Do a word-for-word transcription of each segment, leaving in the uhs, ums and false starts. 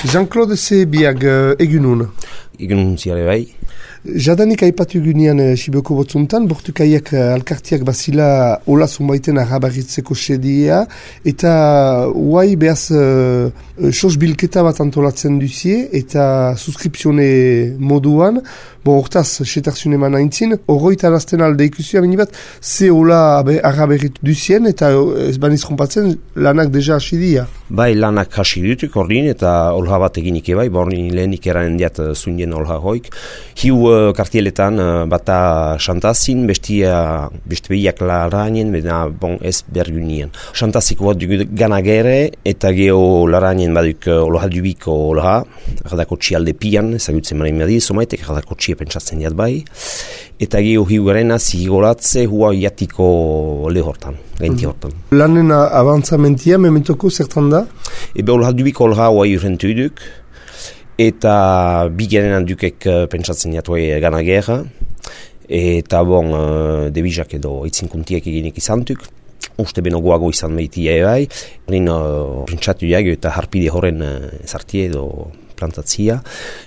Jean-Claude Zebiag, egunun. Egunun ziare bai. Jadanik aipatu egunean Siboko botzuntan, bortukaiak alkartiak bazila hola zunbaiten arrabarritzeko sedia, eta huai behaz uh, sos bilketa bat antolatzen duzie, eta suskripsione moduan, bon, hortaz, setarziun eman aintzin, horroita arazten alde ikusia, bat, ze hola arrabarrit duzien, eta ez baniz jompatzen, lanak deja hasi dia. Bai, lanak hasi dutuk ordin, eta olha bat eginik ebai, borni lehenik eranen diat zundien olha hoik. Hiu uh, kartieletan uh, bata xantazin, bestia, beste behiak larainen, bena bon ez bergunien. Xantaziko bat dugu ganagere, eta geho larainen baduk uh, olha dubiko olha, erdako txialde pian, ezagutzen maren madi, somaitek erdako txia pentsatzen diat bai, eta geho hiu garena zigolatze hua iatiko lehortan. Gainti hortan. Lanen avantzamentia, mementoko zertan da? Ebe olha dubiko olha hoa urrentu duk, eta bigaren dukek pentsatzen jatuai gana gerra, eta bon, debizak edo itzinkuntiek eginik izantuk, uste benogoago izan behitia ebai, horren pentsatu jago eta harpide horren zartie edo plantatzia,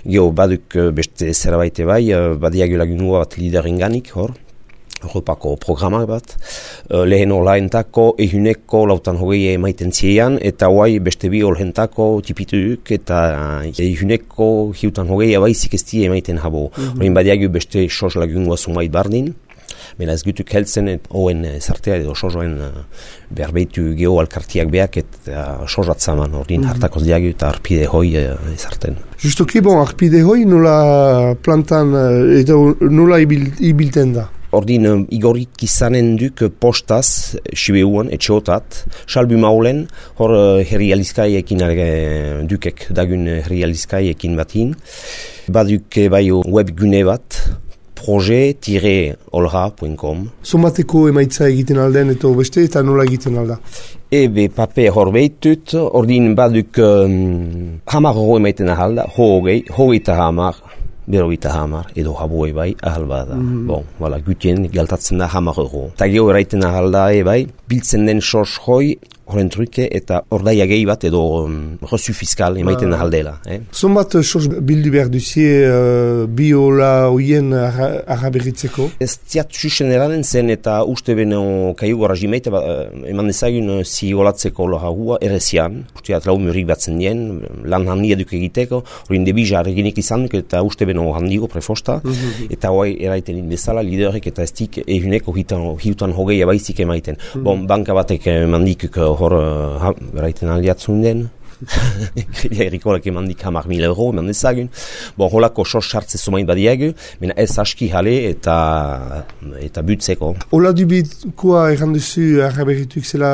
geho baduk beste zerabaite bai, badiago lagunua bat liderenganik hor, Europako programak bat, lehen olaentako ehuneko lautan hogei emaiten ziean, eta hoai beste bi olhentako tipituk, eta ehuneko hiutan hogei abaizik ez die emaiten habo. Horien mm-hmm. badiagu beste sos lagungua sumait bardin, bena ez gutuk heltzen hoen zartea edo sosoen berbeitu geho alkartiak beak eta sosatzaman ordin mm-hmm. hartakoz diagu eta arpide hoi ezarten. Justoki, bon, arpide hoi nola plantan edo nola ibil, ibilten da? Ordin, uh, igorik izanen duk postaz, Sibeuan, etxeotat, salbu maulen, hor uh, herrializkaiekin uh, dukek dagun herrializkaiekin batin. Baduk bai web gune bat, projet tiret olha punto com. Somateko emaitza egiten alden eta beste eta nola egiten alda? Ebe pape hor behitut, ordin baduk um, hamar horo emaiten ahalda, hogei, hogei eta hamar. Berogita hamar, edo haboe bai, ahal bada. Mm-hmm. Bon, wala, gutien galtatzen da hamar euro. Ta geho eraiten ahal da e bai, biltzen den sos hoi, horren truke, eta ordaia gehi bat edo um, resu fiskal emaiten ah. ahal dela. Eh? Zonbat sos bildu behar duzie uh, bi hola hoien arraberritzeko? Ez ziat susen eranen zen eta uste beno kaiu gara jimeite, ba, eman dezagun uh, zigolatzeko loha hua erezian. Usteat lau murik batzen dien, lan handia duk egiteko, horien debiza arginik izan duk eta uste beno handigo prefosta, mm-hmm. eta hoi eraiten bezala liderek eta ez dik ehuneko hiutan hogei abaizik emaiten. Mm-hmm. Bon, banka batek mandikuk hor uh, beraiten aldiatzun den. Errikolak emandik hamar mil euro, eman dezagun. Bon, holako sos sartze zumain badiagu, mena ez aski jale eta eta butzeko. Ola dubikoa erranduzu arraberrituk zela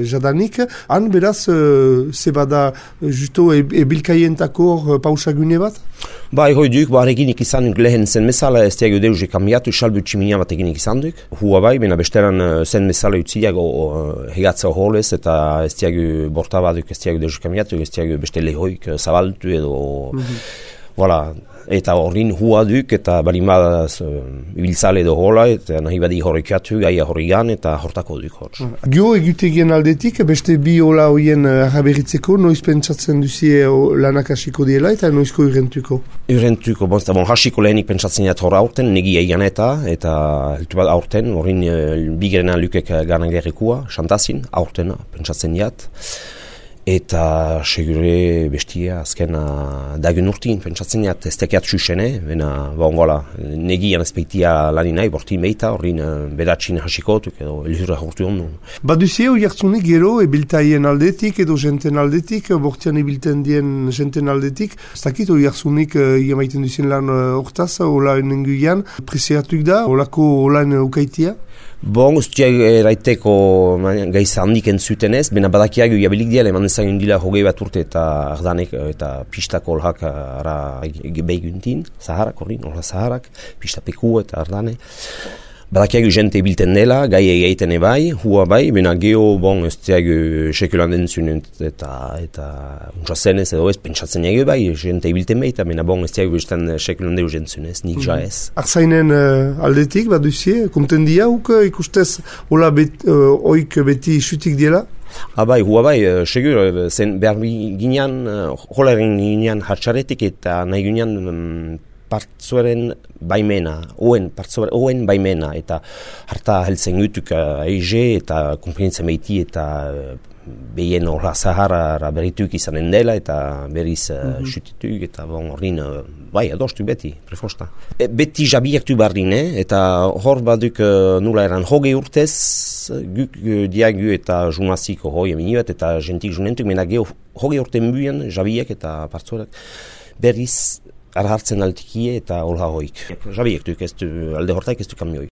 jadanik, han beraz, uh, zebada justo ebilkaientako e, pausagune bat? Ba, erroi duk, ba, eginik izan duk lehen zen mesala, ez diago deuze kambiatu, salbu tximinia bat eginik izan duk. Hua bai, mena besteran zen mesala utziago uh, hegatza horrez, eta ez diago borta bat duk, ez diago deuze kambiatu, ez diago beste lehoik zabaltu edo, mm-hmm. voilà. Eta horrin hua duk, eta balimad uh, ibiltzale edo hola, eta nahi badi horrekatu, gaia horrigan, eta hortako duk hor. Gio egutegien aldetik, beste bi hola hoien arraberritzeko, noiz pentsatzen duzie lanak hasiko diela, eta noizko urrentuko? Urrentuko, bon, bon, hasiko lehenik pentsatzen dut hor aurten, negi eian eta, eta heltu bat aurten, horrin uh, bigerena lukek ganagerrikua, xantazin, aurten pentsatzen dut. Eta segure bestia azkena dagun urtin, pentsatzen jat, ez tekiat susene, bena, bon, gola, negian ezpeitia lanin nahi, bortin behita, horrin bedatxin hasikotuk edo elhurra hortu ondu. Baduzie oiartzunik gero, ebiltaien aldetik edo jenten aldetik, bortian ebilten dien jenten aldetik, ez dakit oiartzunik iamaiten duzien lan hortaz, hola nenguian, preziatuk da, holako holan ukaitia? Bon, ustiak eraiteko gaiza handik entzutenez, bena badakiago jabilik diala, eman ezagun dila hogei bat urte eta ardanek eta pistako olhak ara behiguntin, zaharak horrin, olha zaharak, pistapeku eta ardane. Badakiago jente bilten dela, gai egiten ebai, hua bai, bena geho, bon, ez diago sekulan dentzunen eta eta untsazenez edo ez, pentsatzen ege bai, jente bilten bai, eta bena bon, ez diago bestan sekulan deu jentzunez, nik ja ez. Arzainen uh, aldetik, baduzie, konten diauk, ikustez, hola bet, uh, oik beti xutik diela? Abai, hua bai, segur, zen behar ginean, holaren ginean hatxaretik eta nahi ginean um, partzuaren baimena, oen, partzuaren, oen baimena, eta harta heltzen gutuk uh, eize eta konfinitzen meiti eta uh, behien horra Sahara berrituk izanen dela eta berriz uh, mm-hmm. xutituk eta bon horrin, uh, bai, adostu beti, prefosta. E, beti jabiaktu bardin, eh? Eta hor baduk uh, nula eran hoge urtez, guk uh, diagu eta jumaziko hoi eminibat eta gentik junentuk, mena geho hoge urte mbuen jabiak eta partzuarak berriz arhartzen altikie eta horra hoik. Jabiaktuk ez du, alde hortaik ez du kamioi.